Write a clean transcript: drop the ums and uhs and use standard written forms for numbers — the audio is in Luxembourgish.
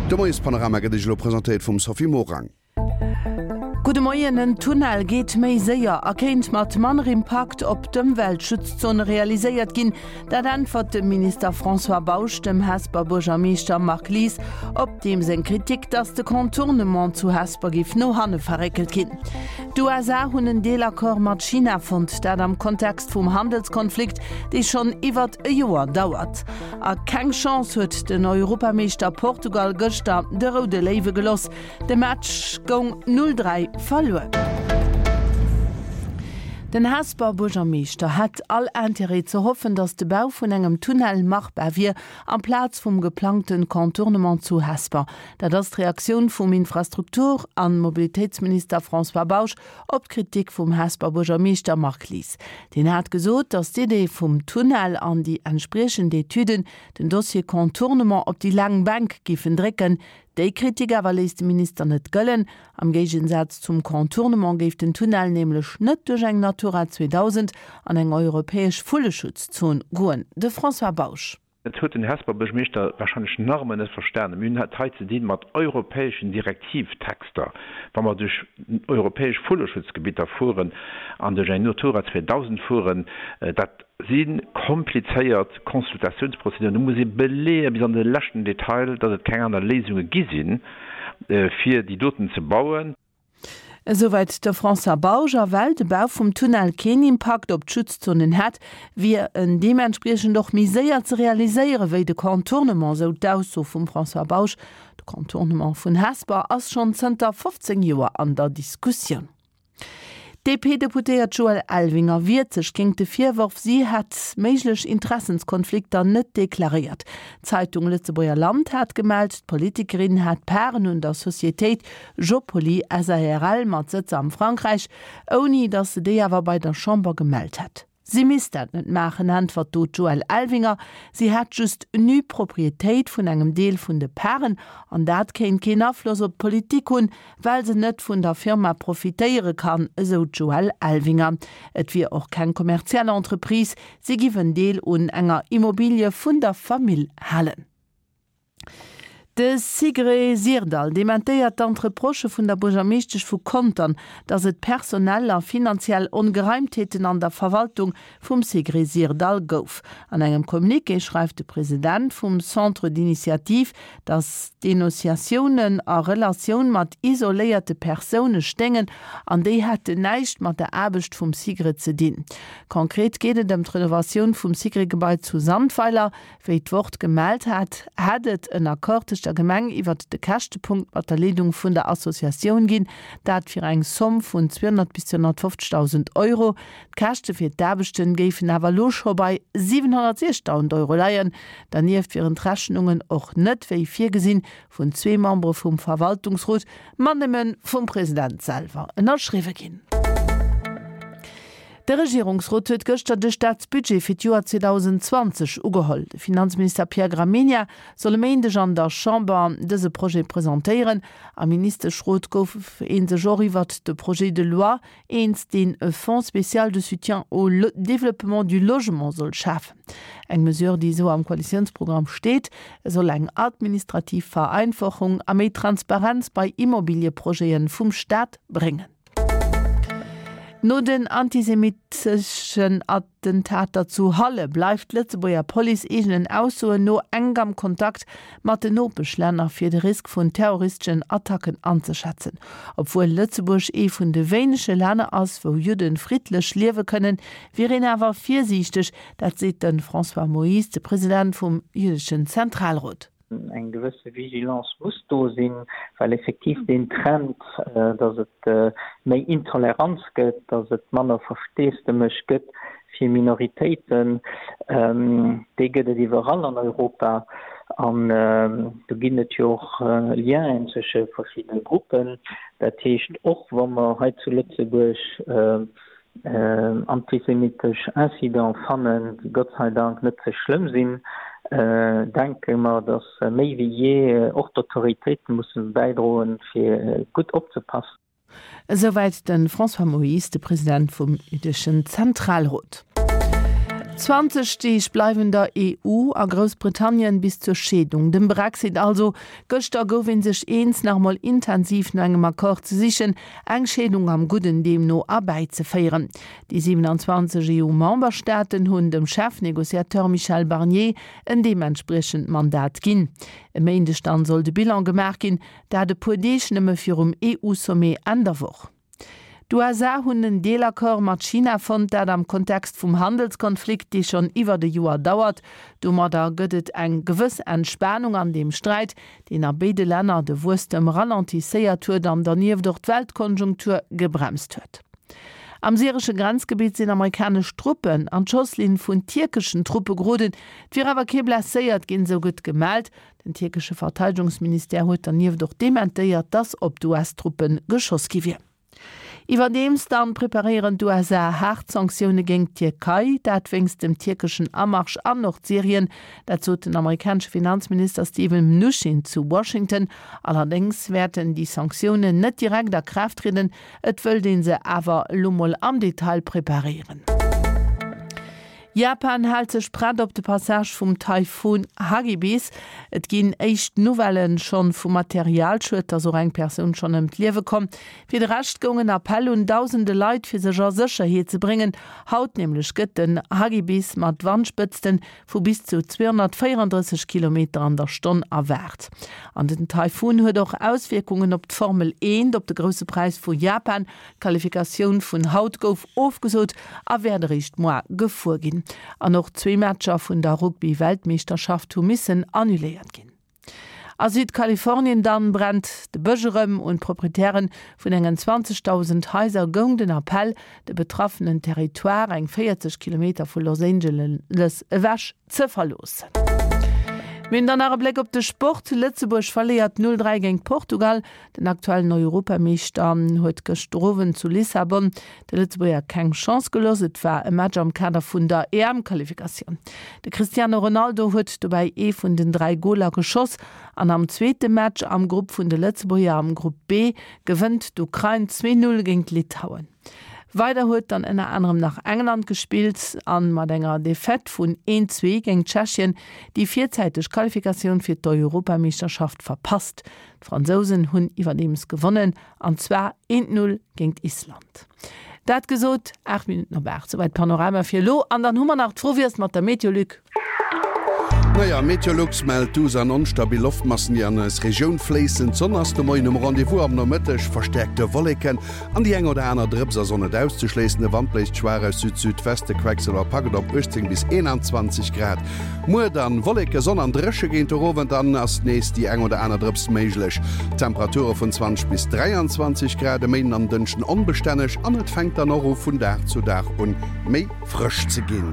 De Moiespanorama gëtt Iech elo presentéiert vum Sophie Morang. Gudde Moien, En Tunnel geet méi séier a kéint mat manner Impakt op d'Ëmweltschutzzone realiséiert ginn. Dat äntwert de Minister François Bausch dem Hesper Buergermeeschter Marc Lies op deem seng Kritik, datt de Contournement zu Hesper géif no hanne verréckelt ginn. D'USA hunn en Deelaccord mat China fonnt, dat am Kontext vum Handelskonflikt, dee schonn iwwert e Joer dauert. A keng Chance huet den Europameeschter Portugal gëschter de Roude Léiwe geloss. De Match goung 0, 3 verluer. Den Hesper Buergermeeschter hätt all Intérêt ze hoffen, datt de Bau vun engem Tunnel machbar wier, amplaz vum geplangte Contournement zu Hesper. Dat ass d'Reaktioun vum Infrastruktur an Mobilitéitsminister François Bausch op d'Kritik vum Hesper Buergermeeschter Marc Lies. Deen hat gesot, datt d'Idee vum Tunnel an déi entspriechend Etüden den Dossier Contournement op déi laang Bänk géifen drécken. Déi Kritik awer léisst de Minister net gëllen. Am Géigensaz zum Contournement géif den Tunnel nämlech net duerch eng Natura 2000 an eng europäesch Vulleschutzzon goen. De François Bausch. Dat huet den Hesper Buergermeeschter warscheinlech nach ëmmer net verstanen. Mir hunn et hei ze dinn mat europäeschen Direktivtexter. Wa mer duerch europäesch Vulleschutzgebitter fueren an duerch eng Natura 2000 fueren, dat si komplizéiert Consultatiounsprozeduren, do muss ee beleeë bis an de leschten Detail, datt et keng aner Léisunge gi sinn, fir déi doten ze bauen. Esouwäit de François Bausch. A well de Bau vum Tunnel keen Impakt op d'Schutzzonen hätt, wier en deementspriechend och méi séier ze realiséiere wéi de Contournement, esou d'Ausso vum François Bausch. De Contournement vun Hesper ass schonn zënter 15 Joer an der Diskussioun. D'DP-Deputéiert Joëlle Elvinger wiert sech géingt de Virworf, si hätt méiglech Interessenskonflikter net deklaréiert. D'Zeitung Lëtzebuerger Land hat gemellt, d'Politikerin hätt Parten un der Societéit Jopoli SARL mat Sëtz am Frankräich, ouni datt se déi awer bei der Chamber gemellt hätt. Si misst dat net maachen, äntwert do d'Joëlle Elvinger. Si hätt just Nu-Proprietéit vun engem Deel vun de Paren an dat kéint keen Afloss op d'Politik hunn, well se net vun der Firma profitéiere kann, esou d'Joëlle Elvinger. Et wier och keng kommerziell Entreprise, si giff en Deel un enger Immobilie vun der Famill halen. De Sigrid Syrdall dementéiert d'Entreprochë vun der Buergermeeschtesch vu Contern, datt et personell a finanziell Ongereimtheeten an der Verwaltung vum Sigrid Syrdall gouf. An engem Communiqué schreift de President vum Centre d'initiative, datt d'Denonciatiounen a Relatioun mat isoléierte Persoune stéingen an déi hätten näischt mat der Aarbecht vum Sigrid ze dinn. Konkret geet et ëm d'Renovatioun vum Sigrid-Gebai zu Sandweiler. Wéi d'Wort gemellt hat, hätt et en Accord tëscht der Gemeng iwwert de Käschtepunkt mat der Leedung vun der Associatioun ginn, dat fir eng Somm vun 200 bis 250.000 Euro. D'Käschte fir d'Aarbechten géifen awer elo scho bei 706.000 Euro leien. Dernieft wieren d'Rechnungen och net, wéi virgesinn, vun zwee Membere vum Verwaltungsrot, ma nëmme vum President selwer ënnerschriwwe ginn. De Regierungsrot huet gëschter de Staatsbudget fir d'Joer 2020 ugeholl. De Finanzminister Pierre Gramegna soll e Méindeg an der Chamber dëse Projet presentéieren. Am Ministeschrot gouf ee sech och iwwert de Projet de loi eens, deen e Fonds spécial de soutien au développement du logement soll schafen. Eng Mesure, déi esou am Koalitiounsprogramm steet. E soll eng administrativ Vereinfachung a méi Transparenz bei Immobilieprojete vum Staat bréngen. No den antisemitteschen Attentater zu Halle bleift d'Lëtzebuerger Police eegenen Aussoen no enk am Kontakt mat den Nopeschlänner, fir de Risk vun terroristeschen Attacken anzeschätzen. Obwuel Lëtzebuerg ee vun de wéinege Länner ass, wou Judde friddlech liewe kënnen, wier een awer virsiichteg. Dat seet de François Moyse, de President vum jüddeschen Zentralrot. Eng gewësse Vigilance muss do sinn, well effektiv deen Trend, datt et méi Intoleranz gëtt, datt et manner Versteesdemech gëtt fir Minoritéiten, dee gëtt et iwwerall an Europa. An do ginn et jo och Lienen zwësche verschiddene Gruppen. Dat heescht, och wa mer hei zu Lëtzebuerg Antisemitesch Incident fannen, déi Gott sei Dank net ze schlëmm sinn, denke mer, datt méi wéi jee och d'Autoritéite musse bäidroen, fir gutt opzepassen. Esouwäit de François Moyse, de President vum jüddeschen Zentralrot. 20 Deeg bleiwen der EU a Groussbritannien bis zur Scheedung, dem Brexit also. Gëschter gouf ee sech eens, nach emol intensiv no engem Accord ze sichen, eng Scheedung am Gudden deemno erbäizeféieren. Déi 27 EU-Memberstaaten hunn dem Chefnegociateur Michel Barnier en deementspriechend Mandat ginn. E Méindeg dann soll de Bilan gemaach ginn, dat e puer Deeg nëmme virum EU-Sommet Enn der Woch. D'USA hunn en Deelaccord mat China fonnt, dat am Kontext vum Handelskonflikt, dee schonn iwwert e Joer dauert. Domadder gëtt et eng gewëss Entspanung an deem Sträit, deen a béide Länner de Wuesstem ralentisséiert huet an dernieft och d'Weltkonjunktur gebremst huet. Am syresche Grenzgebitt sinn amerikanesch Truppen an d'Schosslinn vun tierkeschen Truppe geroden. Et wier awer kee blesséiert ginn, esou gëtt gemellt. Den tierkesche Verteidegungsministère huet dernieft och dementéiert, datt op d'US-Truppe geschoss gi wier. Iwwerdeems dann preparéieren d'USA haart Sanktioune géingt d'Tierkei, dat wéinst dem tierkeschen Amarsch an Nordsyrien. Dat sot den amerikanesche Finanzminister Steven Mnuchin zu Washington. Allerdéngs wäerten déi Sanktiounen net direkt a Kraaft trieden, et wëllt ee se awer elo mol am Detail preparéieren. Japan hält sech prett op de Passage vum Taifun Hagibis. Et ginn éischt Nouvellen schonn vu Materialschued, dass och eng Persoun schonn ëm d'Liewe komm. Fir de Rescht goung en Appell un dausende Leit fir sech a Sécherheet ze bréngen. Haut nämlech gëtt den Hagibis mat Wandspëtzten vu bis zu 234 Kilometer an der Stonn erwaart. An den Taifun huet och Auswierkungen op d'Formel 1, op de Grousse Präis vu Japan. D'Qualifikatioun vun haut gouf ofgesot a wäert eréischt moar gefuer ginn. An och zwee Matcher vun der Rugby-Weltmeeschterschaft hu missen annuléiert ginn. A Südkalifornien dann brennt de Bësch erëm. Un d'Proprietären vun engen 20.000 Haiser goung den Appell, de betraffenen Territoire, eng 40 Kilometer vu Los Angeles ewech, ze verloossen. Mir hunn dann nach e Bléck op de Sport. Lëtzebuerg verléiert 0, 3 géint Portugal. Den aktuellen Europameeschter huet gëschter Owend zu Lissabon de Lëtzebuerger keng Chance gelooss. Et war e Match am Kader vun der EM-Qualifikatioun. De Cristiano Ronaldo huet dobäi ee vun den 3 Goler geschoss. An am zweete Match am Grupp vun de Lëtzebuerger am Grupp B gewënnt d'Ukrain 2, 0 géint Litauen. Weider huet dann ënner anerem nach England gespillt an mat enger Defaite vun 1, 2 géint Tschechien déi virzäiteg Qualifikatioun fir d'Europameeschterschaft verpasst. D'Fransousen hunn iwwerdeems gewonnen an zwar 1, 0 géint Island. Dat gesot, 8 Minutten op 8, souwäit d'Panorama fir elo. An dann hu mer nach d'Fro, Wéi ass et mat der Meteo, Luc? Naja, Meteolux mellt duuss an onstabil Loftmassen, déi an eis Regioun fléissen. D'Sonn ass de Moien um Rendez-vous, am Nomëtteg verstäerkte Wolleken an déi eng oder aner Drëps ass och net auszeschléissen. De Wand bléist schwaach aus Süd-Südweste, Quecksëlwer packt et op 18 bis 21 Grad. Muer dann Wolleke, Sonn an dréche géint de Owend, dann ass nees déi eng oder aner Drëps méiglech. Temperature vun 20 bis 23 Grad. E Méinden an Dënschden onbestänneg an et fänkt dann och u vun Dag zu Dag un méi frësch ze ginn.